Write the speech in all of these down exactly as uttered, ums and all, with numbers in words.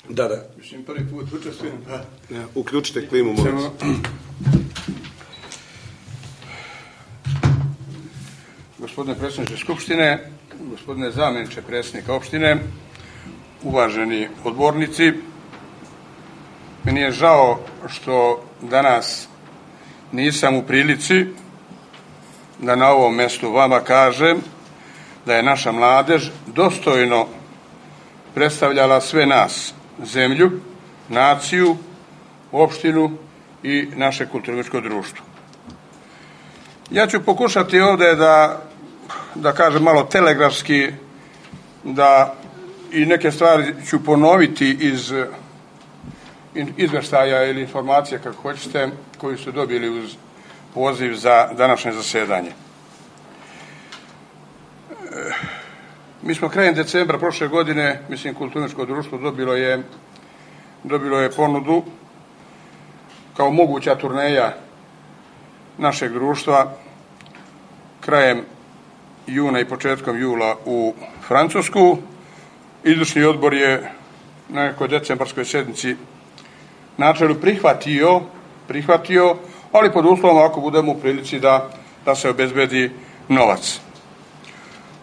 Da, da. Mislim, prvi put učestvujem. Ja, uključite klimu, molim se. Gospodine predsjedniče Skupštine, gospodine zamjeniče predsjednika opštine, uvaženi odbornici, meni je žao što danas nisam u prilici da na ovom mjestu vama kažem da je naša mladež dostojno predstavljala sve nas, zemlju, naciju, opštinu i naše kulturno-umjetničko društvo. Ja ću pokušati ovdje da, da kažem malo telegrafski, da i neke stvari ću ponoviti iz izvještaja ili informacije, kako hoćete, koju su dobili uz poziv za današnje zasedanje. Mi smo krajem decembra prošle godine, mislim, kulturno-umjetničko društvo dobilo je, dobilo je ponudu kao moguća turneja našeg društva krajem juna i početkom jula u Francusku. Izvršni odbor je na nekoj decembarskoj sjednici načelu prihvatio, prihvatio, ali pod uslovom ako budemo u prilici da, da se obezbedi novac.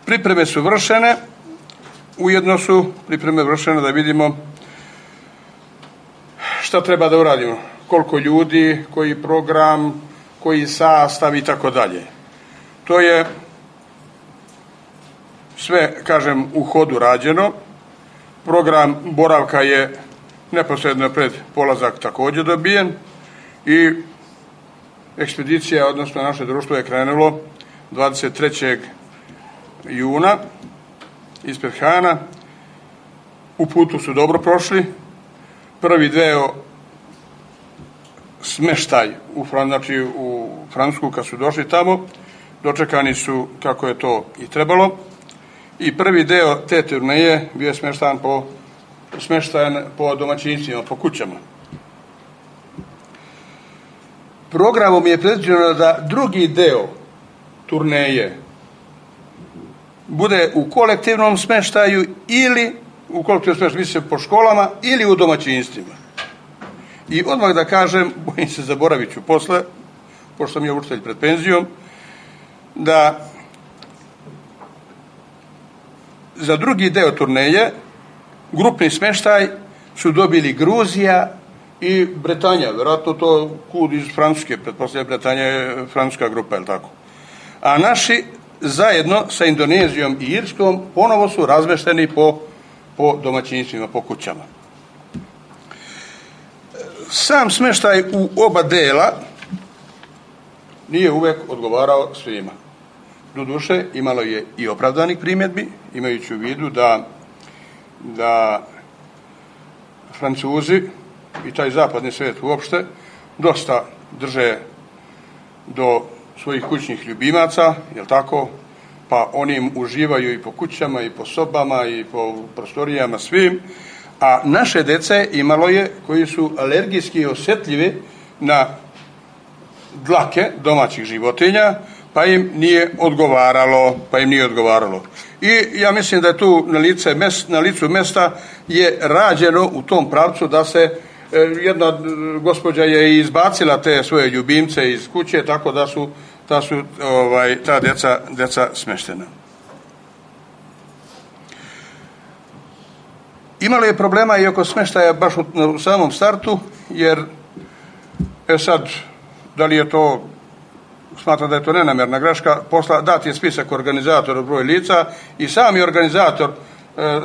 Pripreme su vršene, ujedno su pripreme vršene da vidimo šta treba da uradimo, koliko ljudi, koji program, koji sastav i tako dalje. To je sve, kažem, u hodu rađeno. Program boravka je neposredno pred polazak također dobijen i ekspedicija, odnosno naše društvo je krenulo dvadeset trećeg juna ispred Hana. U putu su dobro prošli. Prvi deo smeštaj u, znači, u Francusku kad su došli tamo, dočekani su kako je to i trebalo. I prvi deo te turneje bio je smeštajan po, smeštajan po domaćinstvima, po kućama. Programom je predviđeno da drugi deo turneje bude u kolektivnom smeštaju ili u kolektivnom smeštaju, misli se po školama ili u domaćinstvima. I odmah da kažem, bojim se, zaboravit ću posle, pošto sam ja učitelj pred penzijom, da za drugi deo turneje grupni smeštaj su dobili Gruzija i Bretanja, vjerojatno to kud iz Francuske, pretpostavlja Bretanja je francuska grupa, je li tako? A naši zajedno sa Indonezijom i Irskom ponovo su razmešteni po, po domaćinstvima, po kućama. Sam smeštaj u oba dela nije uvek odgovarao svima. Doduše, imalo je i opravdanih primjedbi, imajući u vidu da, da Francuzi i taj zapadni svijet uopšte dosta drže do svojih kućnih ljubimaca, jel tako? Pa oni im uživaju i po kućama, i po sobama, i po prostorijama, svim. A naše dece imalo je koji su alergijski osjetljivi na dlake domaćih životinja, pa im nije odgovaralo, pa im nije odgovaralo. I ja mislim da je tu na, lice, na licu mesta je rađeno u tom pravcu da se jedna gospođa je izbacila te svoje ljubimce iz kuće, tako da su ta su ovaj, ta djeca, djeca smeštena. Imalo je problema i oko smeštaja baš u, u samom startu, jer e sad, da li je to, smatram da je to nenamjerna greška, posla, dat je spisak organizatora broj lica i sami organizator e, e,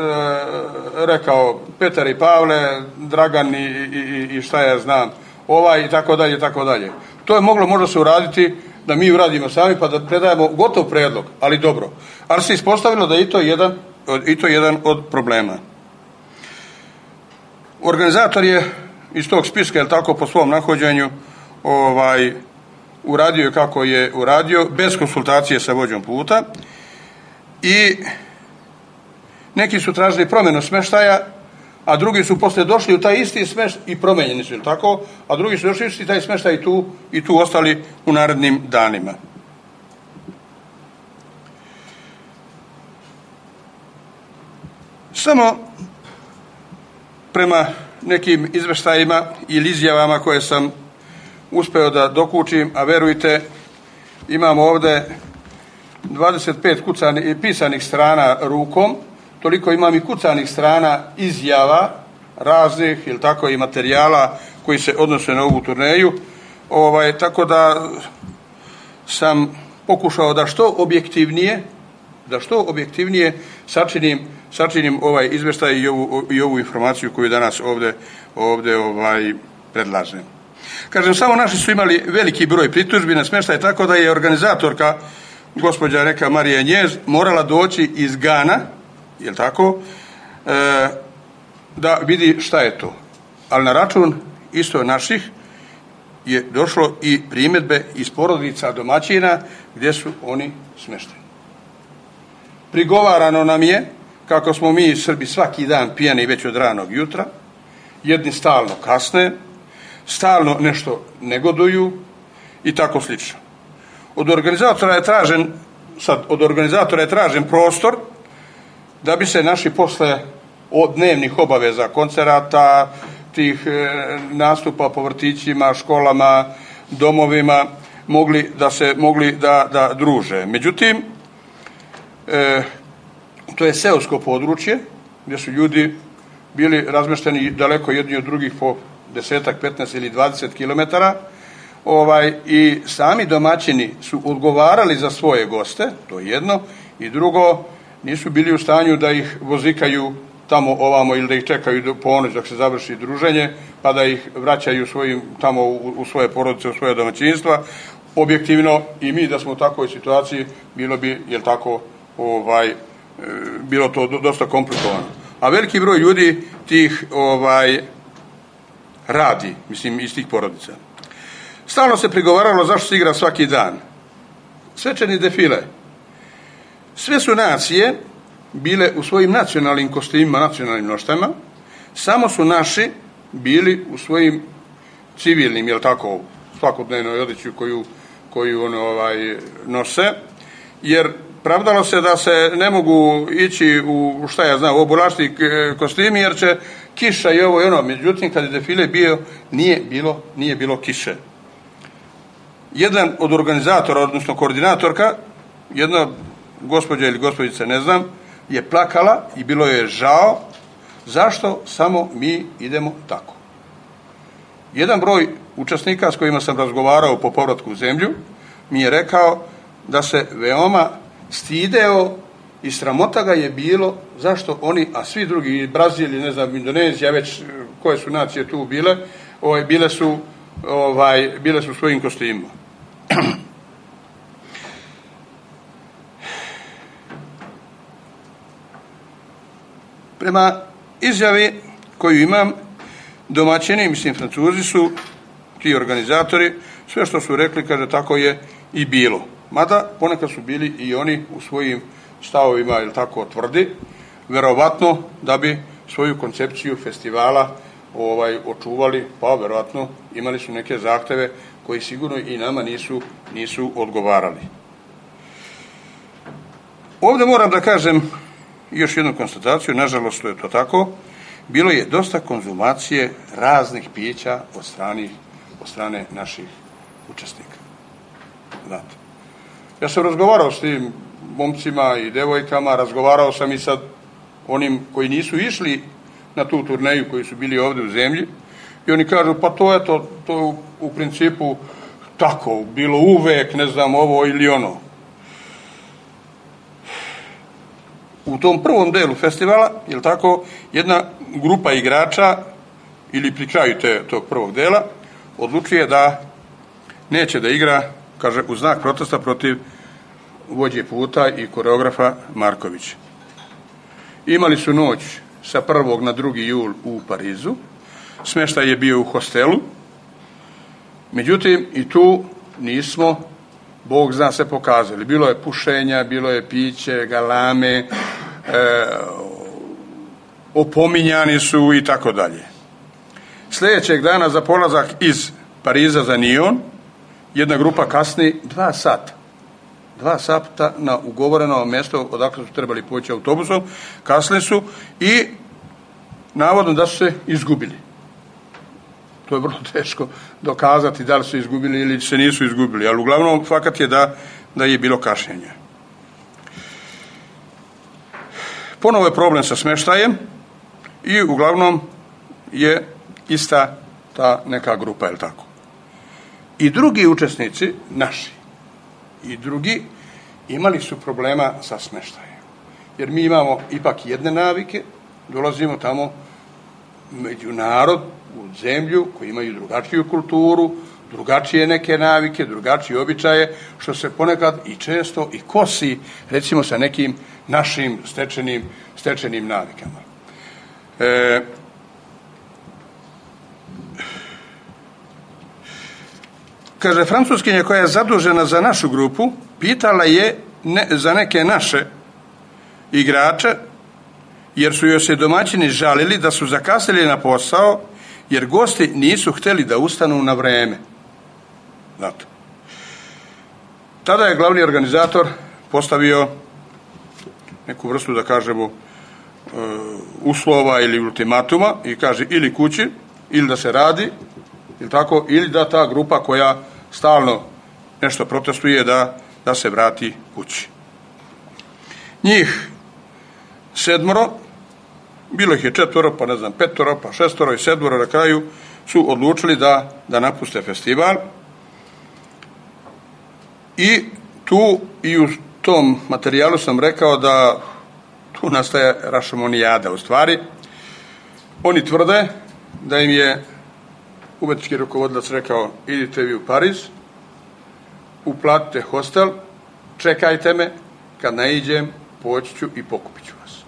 rekao Petar i Pavle, Dragan i, i, i šta ja znam, ovaj i tako dalje, tako dalje. To je moglo možda se uraditi da mi uradimo sami pa da predajemo gotov predlog, ali dobro. Ali se ispostavilo da je to jedan, i to jedan od problema. Organizator je iz tog spiska, jel tako, po svom nahođenju ovaj, uradio kako je uradio, bez konsultacije sa vođom puta, i neki su tražili promjenu smeštaja, a drugi su poslije došli u taj isti smeštaj i promenjeni su, jel tako, a drugi su došli u taj smeštaj i tu, i tu ostali u narednim danima. Samo prema nekim izveštajima ili izjavama koje sam uspeo da dokučim, a verujte, imamo ovdje dvadeset pet kucanih, pisanih strana rukom, toliko imam i kucanih strana izjava raznih ili tako i materijala koji se odnose na ovu turneju. Ovaj, tako da sam pokušao da što objektivnije da što objektivnije sačinim, sačinim ovaj izveštaj i ovu, i ovu informaciju koju danas ovdje, ovdje ovaj, predlažem. Kažem, samo naši su imali veliki broj pritužbi na smještaj, tako da je organizatorka, gospođa Reka Marija Njez, morala doći iz Gana, jel tako, e, da vidi šta je to. Ali na račun isto naših je došlo i primjedbe iz porodica domaćina gdje su oni smješteni. Prigovarano nam je kako smo mi Srbi svaki dan pijani već od ranog jutra, jedni stalno kasne, stalno nešto negoduju i tako slično. Od organizatora je tražen, sad, od organizatora je tražen prostor da bi se naši posle od dnevnih obaveza, koncerata, tih e, nastupa po vrtićima, školama, domovima, mogli da se mogli da, da druže. Međutim, e, to je seosko područje gdje su ljudi bili razmešteni daleko jedni od drugih po desetak, petnaest ili dvadeset kilometara, ovaj, i sami domaćini su odgovarali za svoje goste, to je jedno, i drugo, nisu bili u stanju da ih vozikaju tamo ovamo ili da ih čekaju do ponoć dok se završi druženje, pa da ih vraćaju svojim, tamo u, u svoje porodice, u svoje domaćinstva. Objektivno i mi da smo u takvoj situaciji bilo bi, jel tako, ovaj, bilo to dosta komplikovano. A veliki broj ljudi tih ovaj, radi, mislim, iz tih porodica. Stalno se prigovaralo zašto se igra svaki dan. Svečani defile. Sve su nacije bile u svojim nacionalnim kostimima, nacionalnim noštama, samo su naši bili u svojim civilnim, jel tako, svakodnevnoj odjeći koju, koju ono, ovaj, nose, jer pravdalo se da se ne mogu ići u, šta ja znam, u obulašti kostimi, jer će kiša i ovo i ono. Međutim, kad je defile bio, nije bilo, nije bilo kiše. Jedan od organizatora, odnosno koordinatorka, jedna gospođa ili gospođica, ne znam, je plakala i bilo je žao zašto samo mi idemo tako. Jedan broj učesnika s kojima sam razgovarao po povratku u zemlju mi je rekao da se veoma stideo i sramota ga je bilo zašto oni, a svi drugi, Brazil, ne znam, Indonezija, već koje su nacije tu bile, ovaj, bile su ovaj, bile su svojim kostimima. Prema izjavi koju imam, domaćini, mislim Francuzi su, ti organizatori, sve što su rekli, kaže, tako je i bilo. Mada ponekad su bili i oni u svojim stavovima, ili tako, tvrdi, verovatno da bi svoju koncepciju festivala ovaj, očuvali, pa verovatno imali su neke zahteve koji sigurno i nama nisu, nisu odgovarali. Ovdje moram da kažem još jednu konstataciju, nažalost to je to tako, bilo je dosta konzumacije raznih pića od strane, od strane naših učesnika. Znate. Ja sam razgovarao s tim momcima i devojkama, razgovarao sam i sa onim koji nisu išli na tu turneju, koji su bili ovdje u zemlji, i oni kažu, pa to je to, to je u, u principu tako, bilo uvek, ne znam, ovo ili ono. U tom prvom delu festivala, je tako, jedna grupa igrača, ili pri kraju te, tog prvog dela, odlučuje da neće da igra, kaže, u znak protesta protiv vođe puta i koreografa Markovića. Imali su noć sa prvog na drugi jul u Parizu, smještaj je bio u hostelu, međutim i tu nismo, Bog zna, se pokazali. Bilo je pušenja, bilo je piće, galame, e, opominjani su i tako dalje. Sljedećeg dana za polazak iz Pariza za Nion, jedna grupa kasni dva sata. Dva sata na ugovoreno mjesto odakle su trebali poći autobusom, kasni su i navodno da su se izgubili. To je vrlo teško dokazati da li su izgubili ili se nisu izgubili, ali uglavnom fakat je da, da je bilo kašnjenje. Ponovo je problem sa smještajem i uglavnom je ista ta neka grupa, je li tako? I drugi učesnici, naši, i drugi, imali su problema sa smještajem. Jer mi imamo ipak jedne navike, dolazimo tamo među narod, u zemlju, koji imaju drugačiju kulturu, drugačije neke navike, drugačije običaje, što se ponekad i često i kosi, recimo, sa nekim našim stečenim, stečenim navikama. E, kaže, Francuskinja koja je zadužena za našu grupu, pitala je ne, za neke naše igrače, jer su joj se domaćini žalili da su zakasnili na posao, jer gosti nisu htjeli da ustanu na vreme. Zato. Tada je glavni organizator postavio neku vrstu, da kažemo, uslova ili ultimatuma i kaže ili kući, ili da se radi, ili tako, ili da ta grupa koja stalno nešto protestuje da, da se vrati kući. Njih sedmoro, bilo ih je četvoro, pa ne znam, petoro, pa šestoro i sedmoro na kraju su odlučili da, da napuste festival. I tu i u tom materijalu sam rekao da tu nastaje rašomonijada. U stvari, oni tvrde da im je umetnički rukovodilac rekao, idite vi u Pariz, uplatite hostel, čekajte me, kad naiđem, poći ću i pokupit ću vas.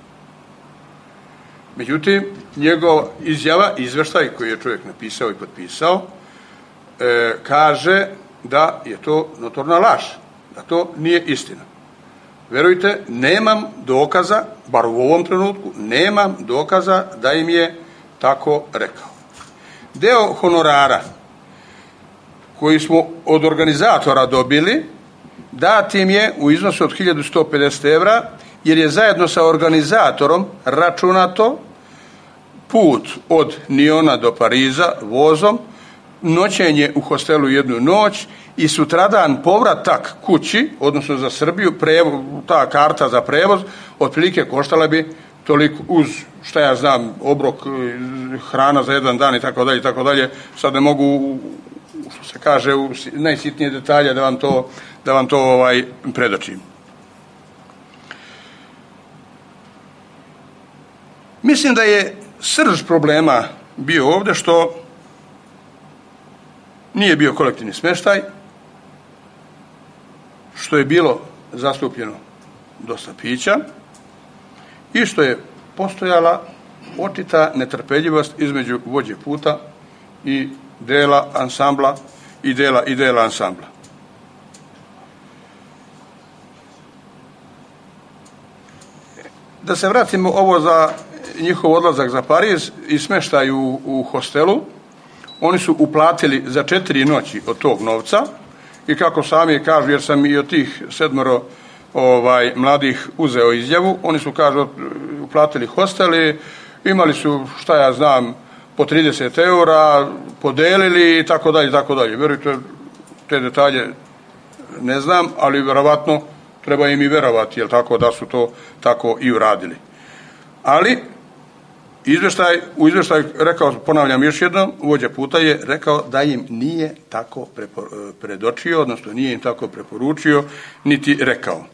Međutim, njegova izjava, izveštaj koji je čovjek napisao i potpisao, e, kaže da je to notorna laž, da to nije istina. Verujte, nemam dokaza, bar u ovom trenutku, nemam dokaza da im je tako rekao. Deo honorara koji smo od organizatora dobili, dat im je u iznosu od hiljadu sto pedeset evra, jer je zajedno sa organizatorom računato put od Niona do Pariza vozom, noćenje u hostelu jednu noć i sutradan povratak kući, odnosno za Srbiju, prevoz, ta karta za prevoz, otprilike koštala bi toliko uz, šta ja znam, obrok, hrana za jedan dan i tako dalje i tako dalje. Sad ne mogu, što se kaže, u najsitnije detalje da vam to, da vam to ovaj, predočim. Mislim da je srž problema bio ovdje što nije bio kolektivni smještaj, što je bilo zastupljeno dosta pića i što je postojala očita netrpeljivost između vođe puta i dela ansambla i dela i dela ansambla. Da se vratimo ovo za njihov odlazak za Pariz i smještaj u, u hostelu. Oni su uplatili za četiri noći od tog novca i kako sami kažu, jer sam i od tih sedmoro ovaj, mladih uzeo izjavu, oni su, kažu, uplatili hosteli, imali su, šta ja znam, po trideset eura, podelili i tako dalje, tako dalje. Vjerujte, te detalje ne znam, ali vjerovatno treba im i vjerovati, jel tako, da su to tako i uradili. Ali izvještaj, u izvještaju rekao, ponavljam još jednom, vođa puta je rekao da im nije tako predočio, odnosno nije im tako preporučio, niti rekao.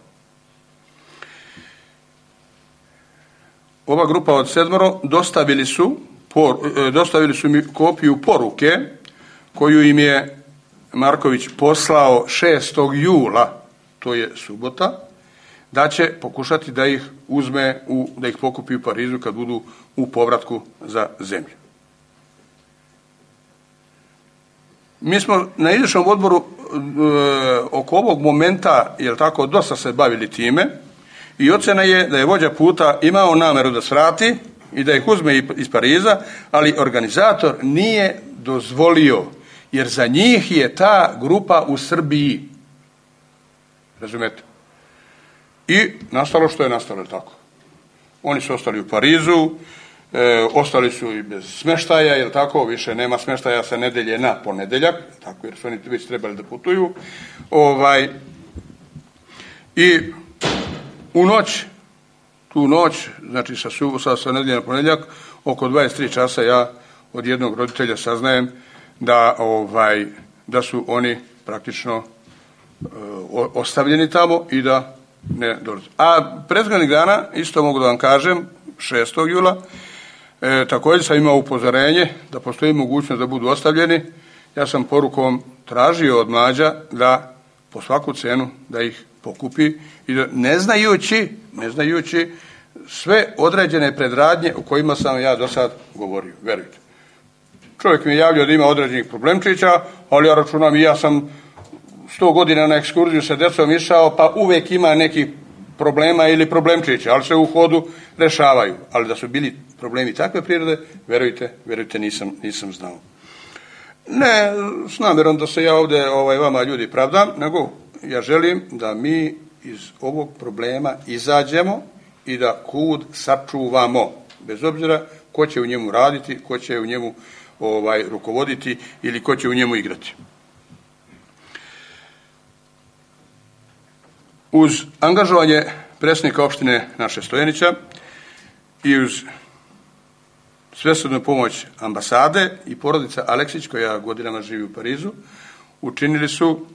Ova grupa od sedmoro dostavili su, por, dostavili su mi kopiju poruke koju im je Marković poslao šestog jula, to je subota, da će pokušati da ih uzme, u, da ih pokupi u Parizu kad budu u povratku za zemlju. Mi smo na izvršnom odboru e, oko ovog momenta, jel tako, dosta se bavili time i ocena je da je vođa puta imao nameru da svrati i da ih uzme iz Pariza, ali organizator nije dozvolio, jer za njih je ta grupa u Srbiji. Razumete? I nastalo što je nastalo, tako. Oni su ostali u Parizu, E, ostali su i bez smeštaja, jer tako, više nema smeštaja sa nedelje na ponedeljak, tako, jer su oni već trebali da putuju. Ovaj, I u noć, tu noć, znači sa, sa, sa nedelje na ponedjeljak, oko dvadeset tri časa ja od jednog roditelja saznajem da, ovaj, da su oni praktično e, ostavljeni tamo i da ne dolaze. A prethodnih dana, isto mogu da vam kažem, šestog jula, e, također sam imao upozorenje da postoji mogućnost da budu ostavljeni. Ja sam porukom tražio od mlađa da po svaku cenu da ih pokupi i da, ne znajući, ne znajući sve određene predradnje o kojima sam ja do sad govorio, verujte. Čovjek mi je javljao da ima određenih problemčića, ali ja računam i ja sam sto godina na ekskurziju sa djecom išao, pa uvijek ima nekih problema ili problemčića, ali se u hodu rešavaju. Ali da su bili problemi takve prirode, verujte, verujte nisam, nisam znao. Ne s namjerom da se ja ovdje ovaj, vama ljudi pravdam, nego ja želim da mi iz ovog problema izađemo i da kud sačuvamo, bez obzira ko će u njemu raditi, ko će u njemu ovaj, rukovoditi ili ko će u njemu igrati. Uz angažovanje predsjednika opštine naše Stojanića i uz svesrdnu pomoć ambasade i porodica Aleksić, koja godinama živi u Parizu, učinili su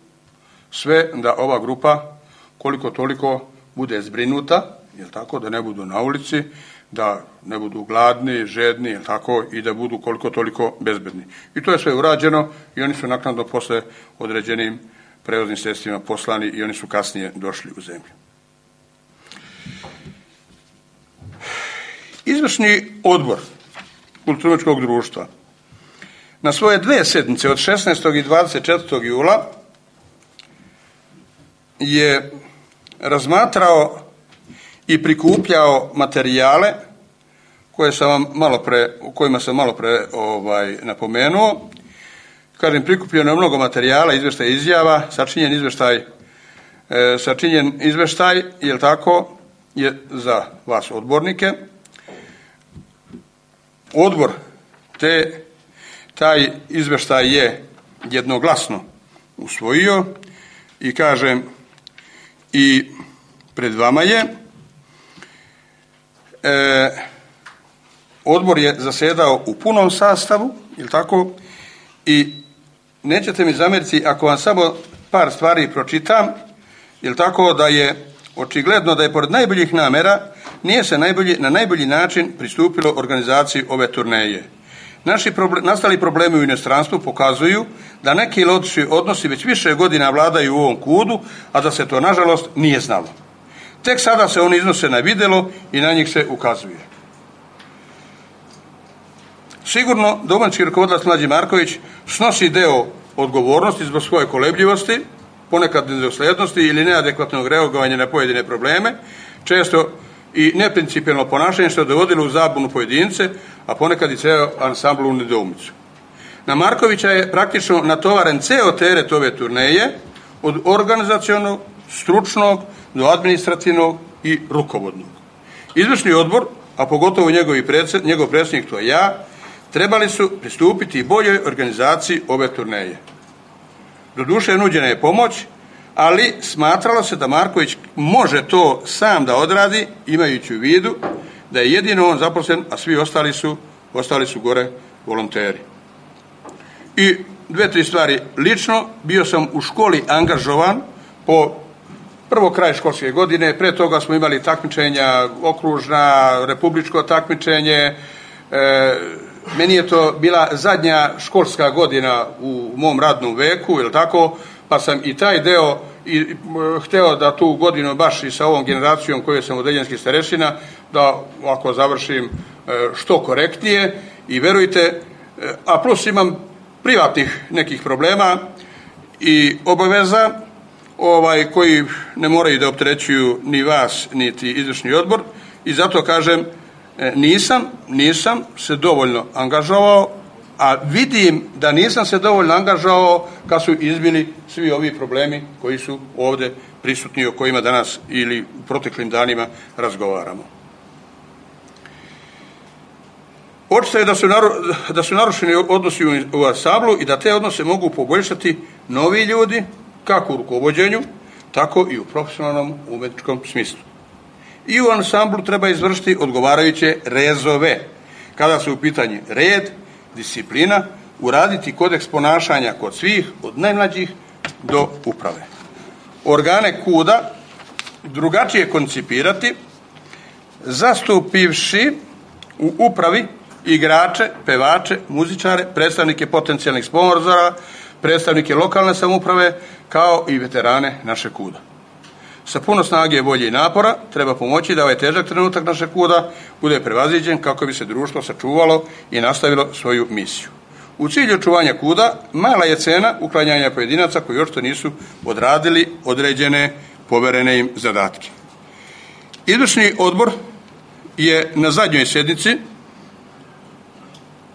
sve da ova grupa koliko toliko bude zbrinuta, jel tako, da ne budu na ulici, da ne budu gladni, žedni, jel tako, i da budu koliko toliko bezbedni. I to je sve urađeno i oni su naknadno posle određenim prevoznim sredstvima poslani i oni su kasnije došli u zemlju. Izvršni odbor kulturno-umjetničkog društva na svoje dve sedmice od šesnaestog i dvadeset četvrtog jula je razmatrao i prikupljao materijale koje sam vam malo pre, o kojima sam malo pre ovaj, napomenuo. Kažem, prikupljeno je mnogo materijala, izveštaj izjava, sačinjen izveštaj, e, sačinjen izveštaj, jel tako, je za vas odbornike. Odbor te, taj izveštaj je jednoglasno usvojio i kažem, i pred vama je. E, odbor je zasedao u punom sastavu, jel tako, i nećete mi zamjeriti ako vam samo par stvari pročitam, jel tako, da je očigledno da je pored najboljih namjera nije se najbolji, na najbolji način pristupilo organizaciji ove turneje. Naši problem, nastali problemi u inostranstvu pokazuju da neki loši odnosi već više godina vladaju u ovom kudu, a da se to nažalost nije znalo. Tek sada se oni iznose na vidjelo i na njih se ukazuje. Sigurno domaći rukovodilac Mlađi Marković snosi deo odgovornosti zbog svoje kolebljivosti, ponekad nedoslednosti ili neadekvatnog reagovanja na pojedine probleme, često i neprincipijelno ponašanje što je dovodilo u zabunu pojedince, a ponekad i ceo ansambl u nedoumicu. Na Markovića je praktično natovaren ceo teret ove turneje, od organizacionog, stručnog do administrativnog i rukovodnog. Izvršni odbor, a pogotovo njegovi predsjed, njegov predsjednik, to je ja, trebali su pristupiti boljoj organizaciji ove turneje. Doduše nuđena je pomoć, ali smatralo se da Marković može to sam da odradi, imajući u vidu da je jedino on zaposlen, a svi ostali su, ostali su gore volonteri. I dve, tri stvari. Lično bio sam u školi angažovan po prvo kraj školske godine, pre toga smo imali takmičenja, okružna, republičko takmičenje. E, meni je to bila zadnja školska godina u mom radnom veku, je li tako, pa sam i taj deo i, i hteo da tu godinu baš i sa ovom generacijom koju sam odeljenski starešina, da ako završim e, što korektnije i verujte, e, a plus imam privatnih nekih problema i obaveza, ovaj, koji ne moraju da opterećuju ni vas, niti izvršni odbor, i zato kažem, nisam, nisam se dovoljno angažovao, a vidim da nisam se dovoljno angažovao kad su izbili svi ovi problemi koji su ovdje prisutni, o kojima danas ili u proteklim danima razgovaramo. Očito je da su, naru, da su narušeni odnosi u ansamblu i da te odnose mogu poboljšati novi ljudi, kako u rukovođenju, tako i u profesionalnom umetničkom smislu. I u ansamblu treba izvršiti odgovarajuće rezove. Kada su u pitanju red, disciplina, uraditi kodeks ponašanja kod svih, od najmlađih do uprave. Organe kuda drugačije koncipirati, zastupivši u upravi igrače, pevače, muzičare, predstavnike potencijalnih sponzora, predstavnike lokalne samouprave, kao i veterane našeg kuda. Sa puno snage, volje i napora treba pomoći da ovaj težak trenutak našeg kuda bude prevaziđen kako bi se društvo sačuvalo i nastavilo svoju misiju. U cilju očuvanja kuda mala je cena uklanjanja pojedinaca koji još to nisu odradili određene poverene im zadatke. Izvršni odbor je na zadnjoj sjednici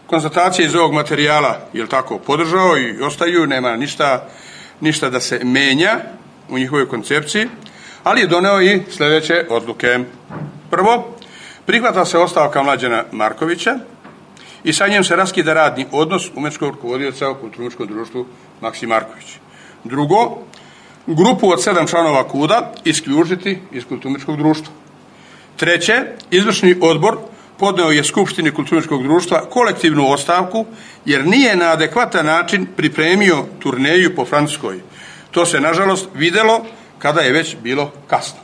konstatacije iz ovog materijala, je tako, podržao i ostaju, nema ništa, ništa da se menja u njihovoj koncepciji, ali je doneo i sljedeće odluke. Prvo, prihvata se ostavka Mlađana Markovića i sa njim se raskida radni odnos umetničkog rukovodioca u kulturno-umetničkom društvu Maksim Marković. Drugo, grupu od sedam članova kuda isključiti iz kulturno-umetničkog društva. Treće, izvršni odbor podneo je Skupštini kulturno-umetničkog društva kolektivnu ostavku jer nije na adekvatan način pripremio turneju po Francuskoj. To se, nažalost, videlo kada je već bilo kasno.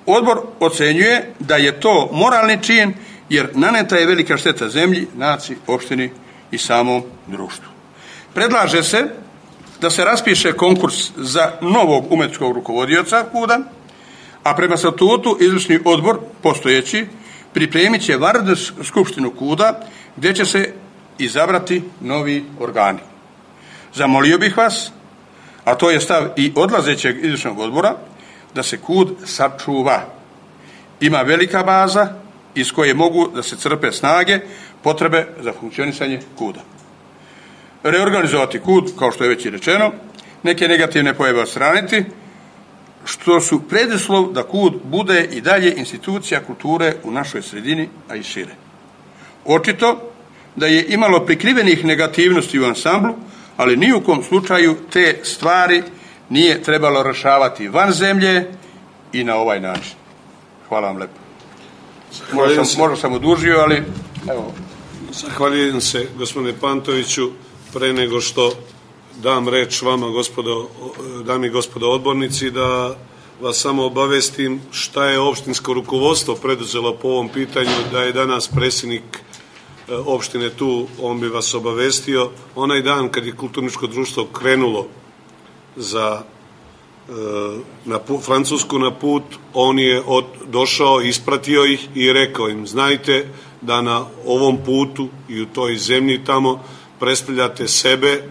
Odbor ocenjuje da je to moralni čin jer naneta je velika šteta zemlji, naciji, opštini i samom društvu. Predlaže se da se raspiše konkurs za novog umetničkog rukovodioca kuda, a prema statutu izvršni odbor postojeći pripremit će vanrednu skupštinu kuda gdje će se izabrati novi organi. Zamolio bih vas, a to je stav i odlazećeg izvršnog odbora, da se kud sačuva. Ima velika baza iz koje mogu da se crpe snage potrebe za funkcionisanje kuda. Reorganizovati kud, kao što je već i rečeno, neke negativne pojave odstraniti, što su preduslov da kud bude i dalje institucija kulture u našoj sredini, a i šire. Očito da je imalo prikrivenih negativnosti u ansamblu, ali ni u kom slučaju te stvari nije trebalo rešavati van zemlje i na ovaj način. Hvala vam lepo. Možda sam, možda sam odužio, ali evo. Zahvaljujem se, gospodine Pantoviću. Pre nego što dam reč vama, gospodo, dami i gospodo odbornici, da vas samo obavestim šta je opštinsko rukovodstvo preduzelo po ovom pitanju, da je danas predsjednik opštine tu, on bi vas obavestio. Onaj dan kad je kulturničko društvo krenulo za na put, Francusku na put, on je od, došao, ispratio ih i rekao im, znajte da na ovom putu i u toj zemlji tamo predstavljate sebe,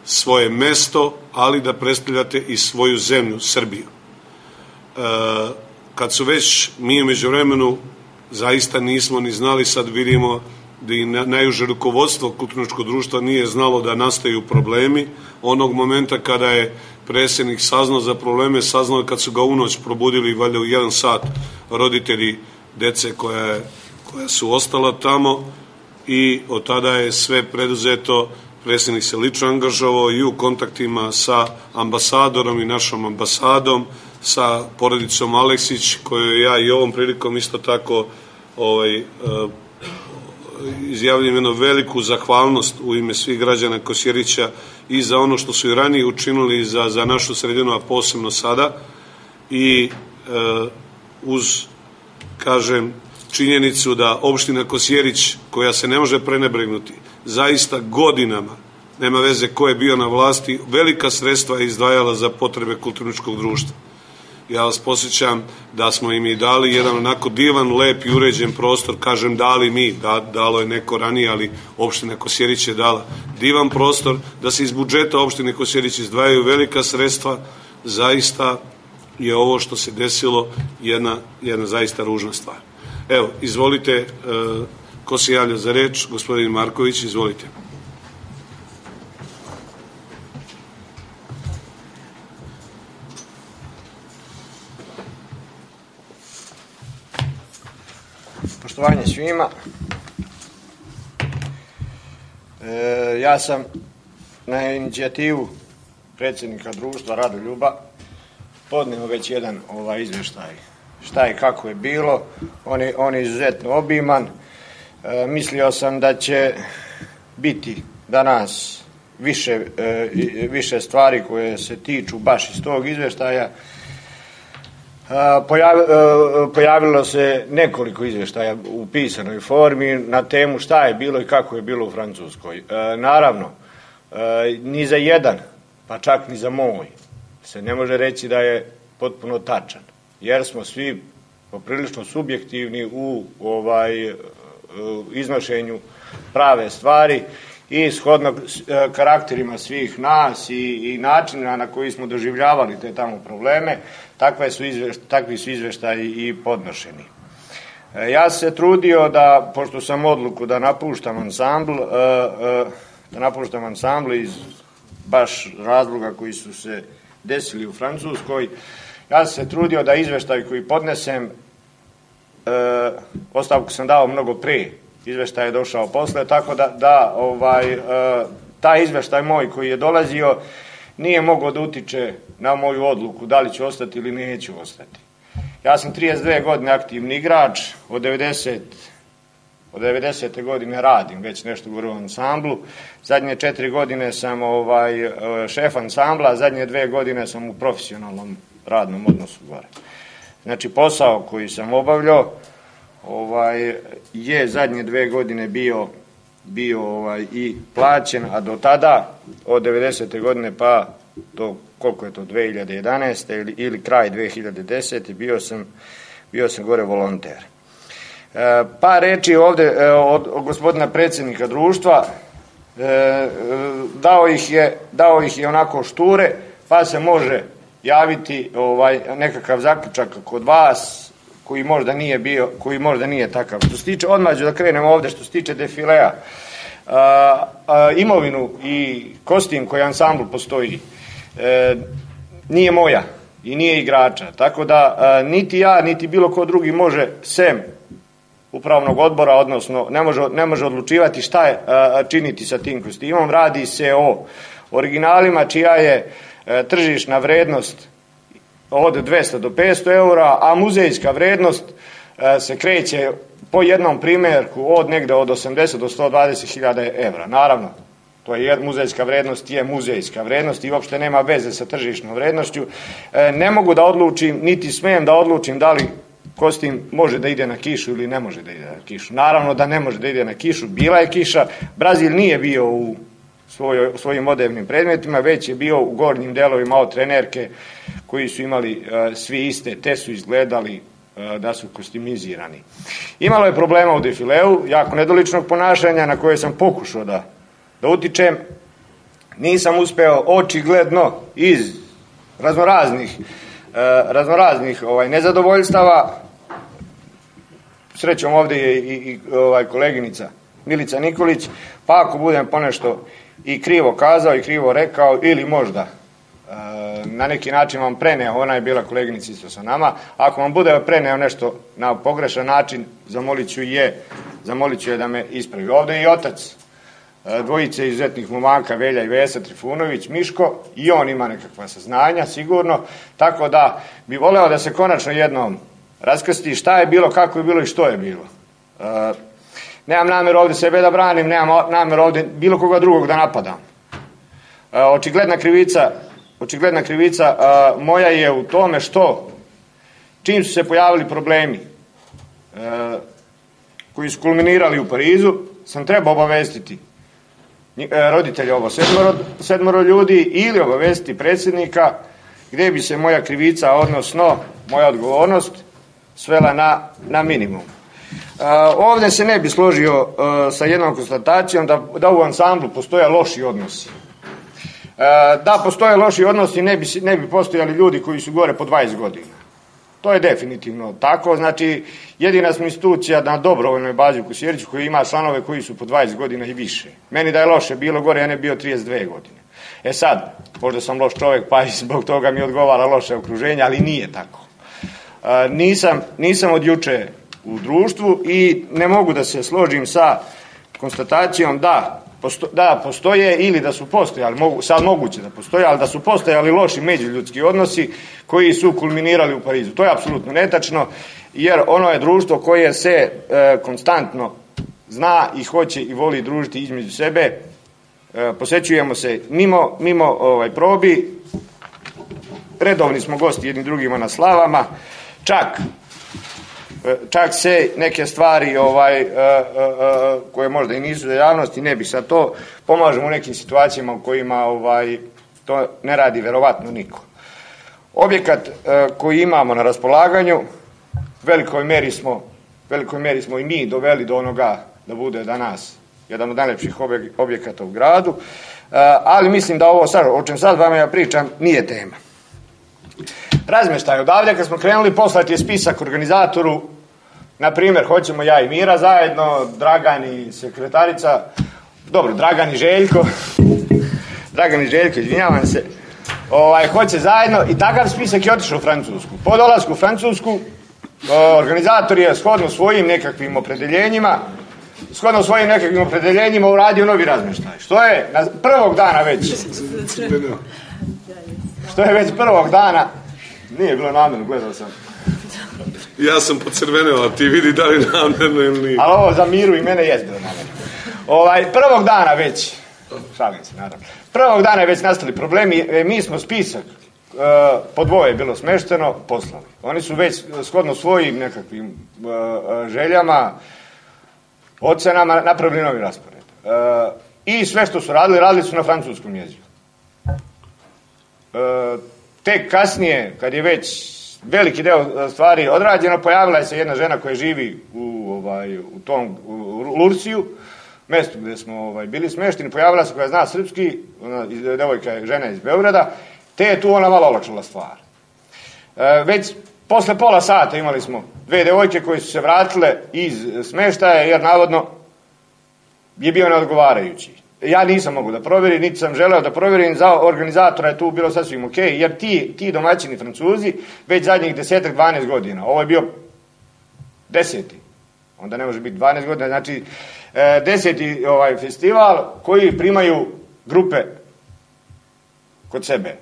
svoje mesto, ali da predstavljate i svoju zemlju, Srbiju. E, kad su već mi u međuvremenu zaista nismo ni znali, sad vidimo da i najuže rukovodstvo kulturničkog društva nije znalo da nastaju problemi. Onog momenta kada je predsjednik saznao za probleme, saznao kad su ga u noć probudili, valjda u jedan sat, roditelji dece koja, koja su ostala tamo, i od tada je sve preduzeto. Predsjednik se lično angažovao i u kontaktima sa ambasadorom i našom ambasadom, sa porodicom Aleksić, koju ja i ovom prilikom isto tako ovaj, izjavljam jednu veliku zahvalnost u ime svih građana Kosjerića i za ono što su i ranije učinili za, za našu sredinu, a posebno sada, i e, uz, kažem, činjenicu da opština Kosjerić, koja se ne može prenebregnuti, zaista godinama, nema veze ko je bio na vlasti, velika sredstva je izdvajala za potrebe kulturničkog društva. Ja vas posjećam da smo im i dali jedan onako divan, lep i uređen prostor, kažem dali mi, da, dalo je neko ranije, ali opština Kosjerić je dala divan prostor, da se iz budžeta opštine Kosjerić izdvajaju velika sredstva. Zaista je ovo što se desilo jedna, jedna zaista ružna stvar. Evo, izvolite, e, ko se javlja za reč? Gospodin Marković, izvolite. Poštovanje svima. E, ja sam na inicijativu predsjednika društva Radoljuba podneo već jedan ovaj izvještaj šta i kako je bilo. On je, on je izuzetno obiman. E, mislio sam da će biti danas više, e, više stvari koje se tiču baš iz tog izvještaja. Pojavilo se nekoliko izvještaja u pisanoj formi na temu šta je bilo i kako je bilo u Francuskoj. Naravno, ni za jedan, pa čak ni za moj, se ne može reći da je potpuno tačan, jer smo svi poprilično subjektivni u ovaj iznošenju prave stvari i shodno karakterima svih nas i, i načina na koji smo doživljavali te tamo probleme, takve su izvješt, takvi su izvještaji i podnošeni. Ja se trudio da, pošto sam odluku da napuštam ansambl, da napuštam ansambl iz baš razloga koji su se desili u Francuskoj, ja sam se trudio da izvještaj koji podnesem, ostavku sam dao mnogo prije, izvještaj je došao posle, tako da, da ovaj, taj izvještaj moj koji je dolazio nije mogao da utiče na moju odluku da li ću ostati ili neću ostati. Ja sam trideset dve godine aktivni igrač, od devedesete godine radim već nešto u ansamblu, zadnje četiri godine sam ovaj, šef ansambla, zadnje dve godine sam u profesionalnom radnom odnosu gore. Znači posao koji sam obavljao ovaj, je zadnje dve godine bio, bio ovaj, i plaćen, a do tada, od devedesete godine pa do koliko je to, dve hiljade jedanaeste ili, ili kraj dve hiljade desete bio sam, bio sam gore volonter. E, pa reći ovdje e, od, od gospodina predsjednika društva, e, dao ih je, dao ih je onako šture, pa se može javiti ovaj, nekakav zaključak kod vas, koji možda nije bio, koji možda nije takav. Što se tiče, odmah ću da krenemo ovdje, što se tiče defilea, a, a, imovinu i kostim koji ansambl postoji, e, nije moja i nije igrača, tako da a, niti ja, niti bilo ko drugi može sem upravnog odbora, odnosno ne može, ne može odlučivati šta je a, činiti sa tim kostimom. Radi se o originalima čija je a, tržišna vrednost od dvesta do petsto eura, a muzejska vrednost e, se kreće po jednom primjerku od negde od osamdeset do sto dvadeset hiljada evra. Naravno, to je muzejska vrednost, je muzejska vrednost i uopšte nema veze sa tržišnom vrednošću. E, ne mogu da odlučim, niti smijem da odlučim da li kostim može da ide na kišu ili ne može da ide na kišu. Naravno da ne može da ide na kišu, bila je kiša, Brazil nije bio u svoj, svojim odevnim predmetima, već je bio u gornjim delovima od trenerke koji su imali uh, svi iste, te su izgledali uh, da su kostimizirani. Imalo je problema u defileu, jako nedoličnog ponašanja na koje sam pokušao da, da utičem. Nisam uspeo očigledno iz raznoraznih, uh, raznoraznih ovaj, nezadovoljstava. Srećom ovdje je i, i ovaj, koleginica Milica Nikolić, pa ako budem ponešto i krivo kazao i krivo rekao ili možda na neki način vam preneo, ona je bila koleginica isto sa nama, ako vam bude preneo nešto na pogrešan način, zamolit ću je, zamolit ću je da me ispravi. Ovdje je i otac dvojice izuzetnih momaka, Velja i Vesa Trifunović, Miško, i on ima nekakva saznanja, sigurno, tako da bi voleo da se konačno jednom raskrsti šta je bilo, kako je bilo i što je bilo. E, nemam namjeru ovdje sebe da branim, nemam namjeru ovdje bilo koga drugog da napadam. E, očigledna krivica Očigledna krivica a, moja je u tome što čim su se pojavili problemi a, koji su kulminirali u Parizu, sam trebao obavestiti roditelja ovo sedmoro, sedmoro ljudi ili obavestiti predsjednika gdje bi se moja krivica, odnosno moja odgovornost svela na, na minimum. A, ovdje se ne bi složio a, sa jednom konstatacijom da, da u ansamblu postoje loši odnosi. Da postoje loši odnosi, ne bi, ne bi postojali ljudi koji su gore po dvadeset godina. To je definitivno tako. Znači, jedina smo institucija na dobrovoljnoj bazi u Kosjeriću koji ima članove koji su po dvadeset godina i više. Meni da je loše bilo gore, ja ne bio trideset dve godine. E sad, možda sam loš čovjek, pa i zbog toga mi odgovara loše okruženje, ali nije tako. E, nisam, nisam od juče u društvu i ne mogu da se složim sa konstatacijom da posto, da postoje ili da su postojali, mogu, sad moguće da postoje, ali da su postojali loši međuljudski odnosi koji su kulminirali u Parizu. To je apsolutno netačno, jer ono je društvo koje se e, konstantno zna i hoće i voli družiti između sebe. E, posećujemo se mimo, mimo ovaj, probi, redovni smo gosti jedni drugima na slavama, čak čak se neke stvari ovaj, uh, uh, koje možda i nisu za javnost i ne bi sad to, pomažemo u nekim situacijama u kojima ovaj, to ne radi verovatno niko. Objekat uh, koji imamo na raspolaganju, velikoj meri smo, velikoj meri smo i mi doveli do onoga da bude danas jedan od najlepših objekata u gradu, uh, ali mislim da ovo sad, o čem sad vama ja pričam, nije tema. Razmještaj odavde, kad smo krenuli, poslati je spisak organizatoru, na primjer, hoćemo ja i Mira zajedno, Dragan i sekretarica, dobro, Dragan i Željko, Dragan i Željko, izvinjavam se, ovaj, hoće zajedno i takav spisak je otišao u Francusku. Po dolasku u Francusku, organizator je shodno svojim nekakvim opredeljenjima, shodno svojim nekakvim opredeljenjima uradio novi razmještaj. Što je na prvog dana već, što je već prvog dana, nije bilo namjerno, gledao sam. Ja sam pocrveneo, a ti vidi da li namjerno ili nije. Ali ovo za Miru i mene jest bilo namjerno. Ovaj, prvog dana već, šalim se naravno, prvog dana je već nastali problemi, mi smo spisak, uh, po dvoje je bilo smešteno, poslali. Oni su već shodno svojim nekakvim uh, željama, ocenama napravili novi raspored. Uh, I sve što su radili, radili su na francuskom jeziku. Uh, tek kasnije, kad je već veliki deo stvari odrađeno, pojavila je se jedna žena koja živi u, ovaj, u tom u Lursiju, mjestu gdje smo ovaj, bili smešteni, pojavila se koja zna srpski, ona, devojka je žena iz Beograda, te je tu ona malo olakšala stvar. E, već posle pola sata imali smo dve devojke koje su se vratile iz smeštaja, jer navodno je bio neodgovarajući. Ja nisam mogu da provjerim, niti sam želeo da provjerim, za organizatora je tu bilo sasvim ok, jer ti, ti domaćini Francuzi već zadnjih desetak, dvanaest godina, ovo je bio deseti, onda ne može biti dvanaest godina, znači e, deseti ovaj festival koji primaju grupe kod sebe.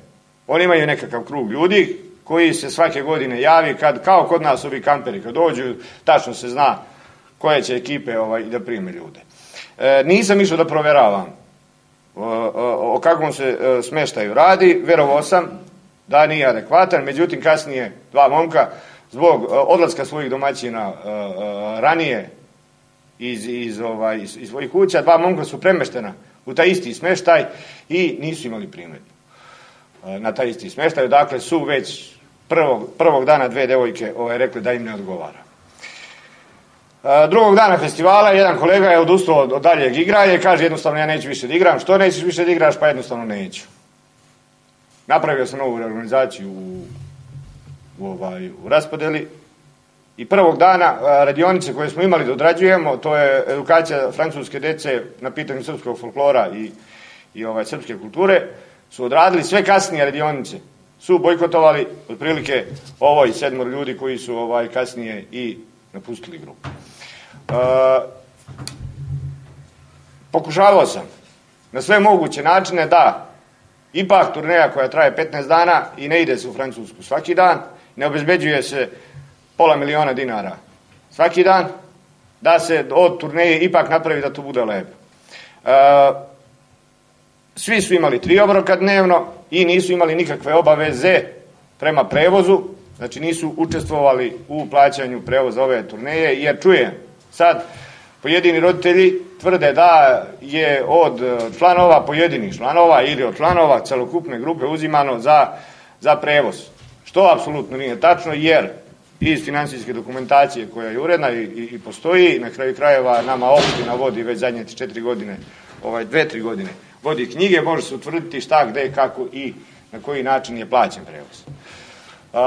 Oni imaju nekakav krug ljudi koji se svake godine javi, kad, kao kod nas ovi kamperi, kad dođu, tačno se zna koje će ekipe ovaj, da prime ljude. E, nisam išao da provjeravam o, o, o kakvom se e, smeštaju radi, verovao sam da nije adekvatan, međutim kasnije dva momka zbog e, odlaska svojih domaćina e, e, ranije iz, iz, ovaj, iz, iz svojih kuća, dva momka su premeštena u taj isti smeštaj i nisu imali primjedbu e, na taj isti smeštaj, dakle su već prvog, prvog dana dve devojke ovaj, rekli da im ne odgovara. Drugog dana festivala jedan kolega je odustao od daljeg igranja i kaže jednostavno ja neću više da igram. Što nećeš više da igraš? Pa jednostavno neću. Napravio sam novu organizaciju u, u, ovaj, u raspodeli i prvog dana radionice koje smo imali da odrađujemo, to je edukacija francuske dece na pitanju srpskog folklora i, i ovaj, srpske kulture, su odradili sve kasnije radionice. Su bojkotovali otprilike ovoj sedmor ljudi koji su ovaj, kasnije i napustili grupu. Uh, pokušavao sam na sve moguće načine da ipak turneja koja traje petnaest dana i ne ide se u Francusku svaki dan, ne obezbeđuje se pola miliona dinara svaki dan, da se od turneje ipak napravi da to bude lepo. Uh, svi su imali tri obroka dnevno i nisu imali nikakve obaveze prema prevozu, znači nisu učestvovali u plaćanju prevoza ove turneje, jer čujem sad pojedini roditelji tvrde da je od članova, pojedinih članova ili od članova celokupne grupe uzimano za, za prevoz. Što apsolutno nije tačno, jer iz finansijske dokumentacije koja je uredna i, i, i postoji, na kraju krajeva nama opština vodi već zadnje četiri godine, ovaj, dve, tri godine, vodi knjige, može se utvrditi šta, gde, kako i na koji način je plaćen prevoz. Uh,